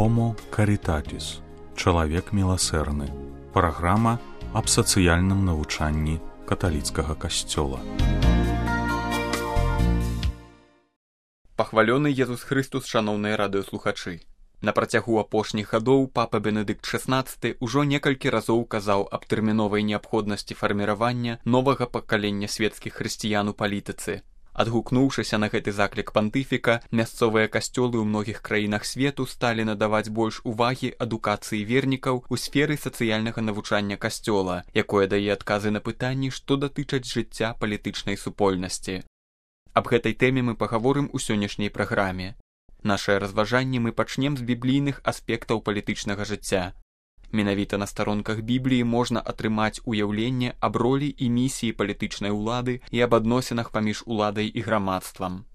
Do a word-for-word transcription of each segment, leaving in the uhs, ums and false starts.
Homo Caritatis. Чалавек міласэрны. Праграма аб сацыяльным навучанні каталіцкага касцёла. Пахвалёны Езус Христус, шаноўныя радыёслухачы. На працягу апошніх гадоў папа Бенедыкт шаснаццаты ўжо некалькі разоў казаў аб тэрміновай неабходнасці фарміравання новага пакалення свецкіх хрысціян у палітыцы. Адгукнуўшыся на гэты заклік пантыфіка, мясцовыя касцёлы ў многіх краінах свету сталі надаваць больш увагі адукацыі вернікаў у сферы сацыяльнага навучання касцёла, якое дае адказы на пытанні, што датычаць жыцця палітычнай супольнасці. Аб гэтай тэме мы пагаворым у сённяшняй праграме. Нашае разважанне мы пачнем з біблійных аспектаў палітычнага жыцця. Менавіта на старонках Бібліі можна атрымаць уяўленне аб ролі і місіі палітычнай улады і аб адносінах паміж уладай і грамадствам.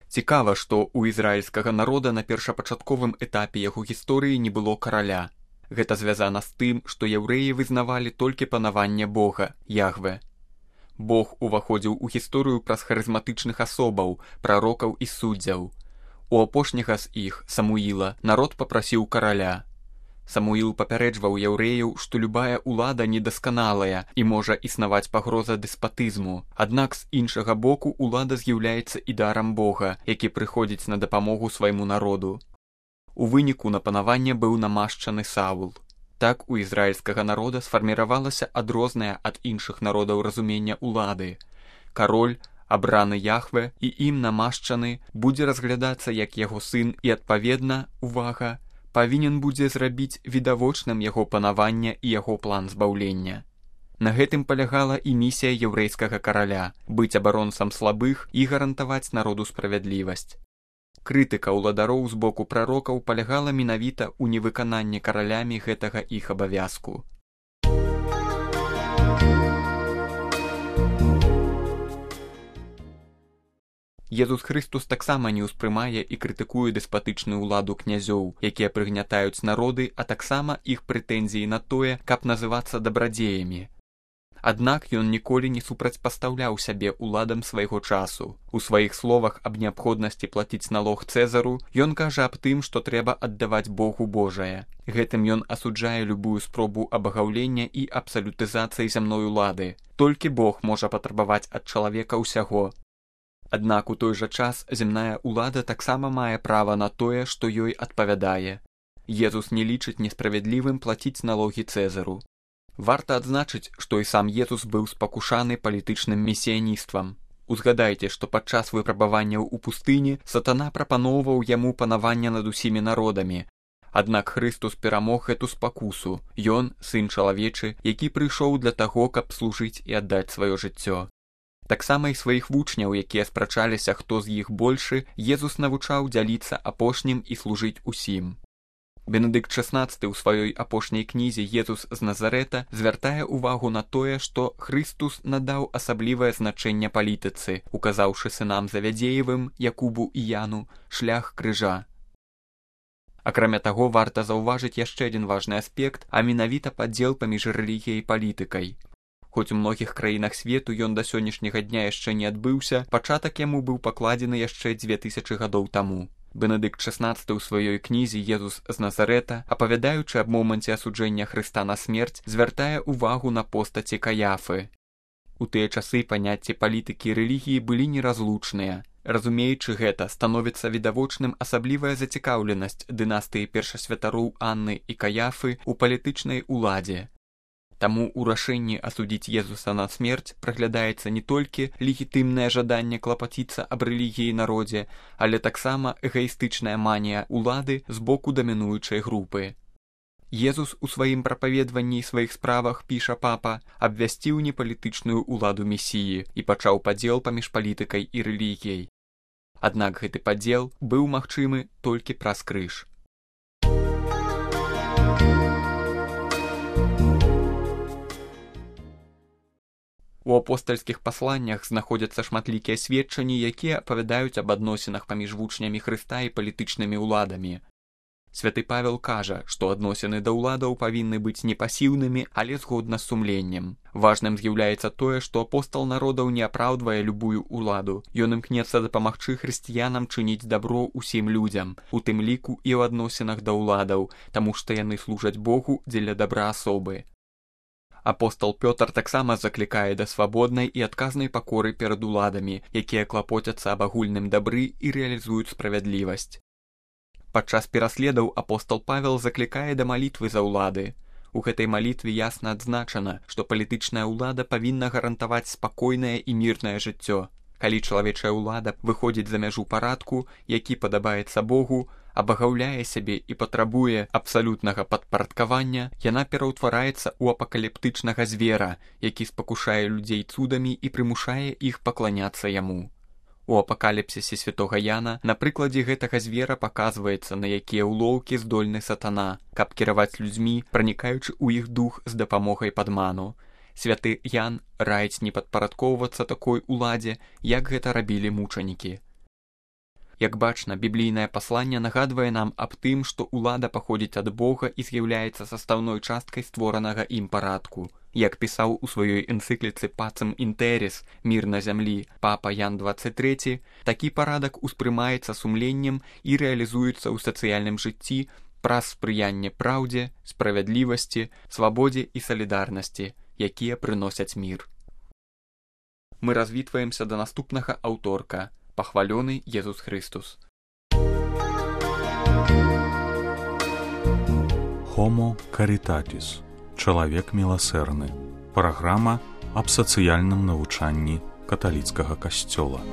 Цікава, што ў ізраільскага народа на першапачатковым этапе яго гісторыі не было караля. Гэта звязана з тым, што яўрэі вызнавалі толькі панаванне Бога, Яхве. Бог уваходзіў у гісторыю праз харызматычных асобаў, прарокаў і суддзяў. У апошняга з іх, Самуіла, народ папрасіў караля. Самуіл папярэджваў яўрэяў, што любая ўлада недасканалая і можа існаваць пагроза дэспатызму, аднак з іншага боку ўлада з'яўляецца і дарам Бога, які прыходзіць на дапамогу свайму народу. У выніку на панаванне быў намашчаны Саул. Так у ізраільскага народа сфарміравалася адрознае ад іншых народаў разумення ўлады. Кароль, абраны Яхве і ім намашчаны, будзе разглядацца як яго сын і, адпаведна, увага, павінен будзе зрабіць відавочным яго панавання і яго план збаўлення. На гэтым палягала і місія яўрэйскага караля – быць абаронцам слабых і гарантаваць народу справядлівасць. Крытыка ўладароў з боку прарокаў палягала менавіта ў невыкананні каралямі гэтага іх абавязку. Езус Христус таксама не ўспрымае і крытыкуе дэспатычную ўладу князёў, якія прыгнятаюць народы, а таксама іх прэтэнзіі на тое, каб называцца дабрадзеямі. Аднак ён ніколі не супрацьпастаўляў сябе ўладам свайго часу. У сваіх словах аб неабходнасці плаціць налог Цэзару ён кажа аб тым, што трэба аддаваць Богу Божае. Гэтым ён асуджае любую спробу абагаўлення і абсалютызацыі зямной улады. Толькі Бог можа патрабаваць ад чалавека ўсяго. Аднак у той жа час зямная ўлада таксама мае права на тое, што ёй адпавядае. Езус не лічыць несправядлівым плаціць налогі Цэзару. Варта адзначыць, што і сам Езус быў спакушаны палітычным месіяніствам. Узгадайце, што падчас выпрабаванняў у пустыні сатана прапаноўваў яму панаванне над усімі народамі. Аднак Христус перамог гэту спакусу. Ён, сын чалавечы, які прыйшоў для таго, каб служыць і аддаць сваё жыццё. Таксама і сваіх вучняў, якія спрачаліся, хто з іх большы, Езус навучаў дзяліцца апошнім і служыць усім. Бенедыкт шаснаццаты ў сваёй апошняй кнізе «Езус з Назарэта» звяртае ўвагу на тое, што Христус надаў асаблівае значэнне палітыцы, указаўшы сынам Завядзеевым, Якубу і Яну, шлях крыжа. Акрамя таго, варта заўважыць яшчэ адзін важны аспект, а менавіта падзел паміж рэлігіяй і палітыкай. Хоць у многіх краінах свету ён да сённяшняга дня яшчэ не адбыўся, пачатак яму быў пакладзены яшчэ дзве тысячы гадоў таму. Бенедыкт шаснаццаты ў сваёй кнізе «Езус з Назарэта», апавядаючы аб моманце асуджэння Хрыста на смерць, звяртае ўвагу на постаці Каяфы. У тыя часы паняцці палітыкі і рэлігіі былі неразлучныя. Разумеючы гэта, становіцца відавочным асаблівая зацікаўленасць дынастыі першасвятароў Анны і Каяфы ў палітычнай уладзе. Таму ў рашэнні асудзіць Езуса на смерць праглядаецца не толькі легітымнае жаданне клапаціцца аб рэлігіі і народзе, але таксама эгаістычная манія ўлады з боку дамінуючай групы. Езус у сваім прапаведванні і сваіх справах, піша папа, абвясціў непалітычную ўладу месіі і пачаў падзел паміж палітыкай і рэлігіяй. Аднак гэты падзел быў магчымы толькі праз крыж. У апостальскіх пасланнях знаходзяцца шматлікія сведчанні, якія апавядаюць аб адносінах паміж вучнямі Хрыста і палітычнымі ўладамі. Святы Павел кажа, што адносіны да ўладаў павінны быць не пасіўнымі, але згодна з сумленнем. Важным з'яўляецца тое, што апостал народаў не апраўдвае любую ўладу. Ён імкнецца дапамагчы хрысціянам чыніць дабро ўсім людзям, у тым ліку і ў адносінах да ўладаў, таму што яны служаць Богу дзеля дабра асобы. Апостал Пётр таксама заклікае да свабоднай і адказнай пакоры перад уладамі, якія клапоцяцца аб агульным дабры і рэалізуюць справядлівасць. Падчас пераследаў апостал Павел заклікае да малітвы за ўлады. У гэтай малітве ясна адзначана, што палітычная ўлада павінна гарантаваць спакойнае і мірнае жыццё. Калі чалавечая ўлада выходзіць за мяжу парадку, які падабаецца Богу, абагаўляе сябе і патрабуе абсалютнага падпарадкавання, яна пераўтвараецца ў апакаліптычнага звера, які спакушае людзей цудамі і прымушае іх пакланяцца яму. У апакаліпсісе святога Яна на прыкладзе гэтага звера паказваецца, на якія ўлоўкі здольны сатана, каб кіраваць людзьмі, пранікаючы ў іх дух з дапамогай падману. Святы Ян раіць не падпарадкоўвацца такой уладзе, як гэта рабілі мучанікі. Як бачна, біблійнае пасланне нагадвае нам аб тым, што ўлада паходзіць ад Бога і з'яўляецца састаўной часткай створанага ім парадку. Як пісаў у сваёй энцыкліцы «Пацем інтеріс» «Мір на зямлі» папа Ян дваццаць трэці, такі парадак успрымаецца сумленнем і рэалізуецца ў сацыяльным жыцці праз спрыянне праўдзе, справядлівасці, свабодзе і салідарнасці, якія прыносяць мір. Мы развітваемся да наступнага аўторка. Пахвалёны Езус Христус. Homo Caritatis. Чалавек міласэрны. Праграма аб сацыяльным навучанні каталіцкага касцёла.